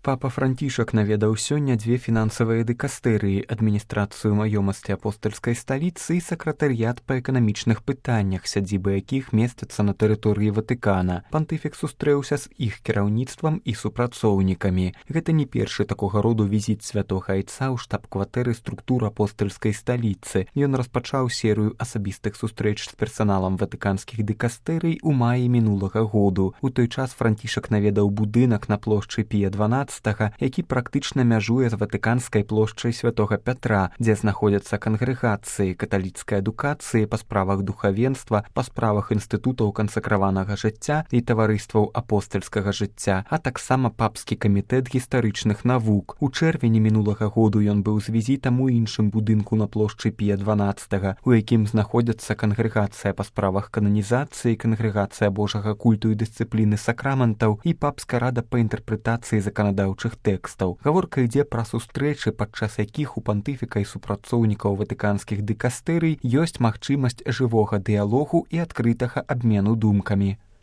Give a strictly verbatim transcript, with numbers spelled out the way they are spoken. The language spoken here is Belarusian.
Папа Францішак наведаў сёння дзве фінансавыя дыкастэрыі, адміністрацыю маёмасці апостальскай сталіцы і сакратарыят па эканамічных пытаннях, сядзібы якіх месцяцца на тэрыторыі Ватыкана. Пантыфік сустрэўся з іх кіраўніцтвам і супрацоўнікамі. Гэта не першы такога роду візіт святога айца ў штаб-кватэры структур апостальскай сталіцы. Ён распачаў серыю асабістых сустрэч з персаналам ватыканскіх дыкастэрый у маі мінулага году. У той час Францішак наведаў будынак на плошчы Пія дванаццатага, які практычна мяжуе з ватыканскай плошчай святога Пятра, дзе знаходзяцца кангрэгацыі каталіцкай адукацыі па справах духавенства, па справах інстытутаў кансакраванага жыцця і таварыстваў апостальскага жыцця, а таксама папскі камітэт гістарычных навук. У чэрвені мінулага году ён быў з візітам у іншым будынку на плошчы Пія дванаццатага, у якім знаходзяцца кангрэгацыя па справах кананізацыі, кангрэгацыя Божага культу і дысцыпліны сакраментаў і папская рада па інтэрпрэтацыі заканадаўчых тэкстаў. Гаворка ідзе пра сустрэчы, падчас якіх у пантыфіка і супрацоўнікаў ватыканскіх дыкастэрый ёсць магчымасць жывога дыялогу і адкрытага абмену думкамі.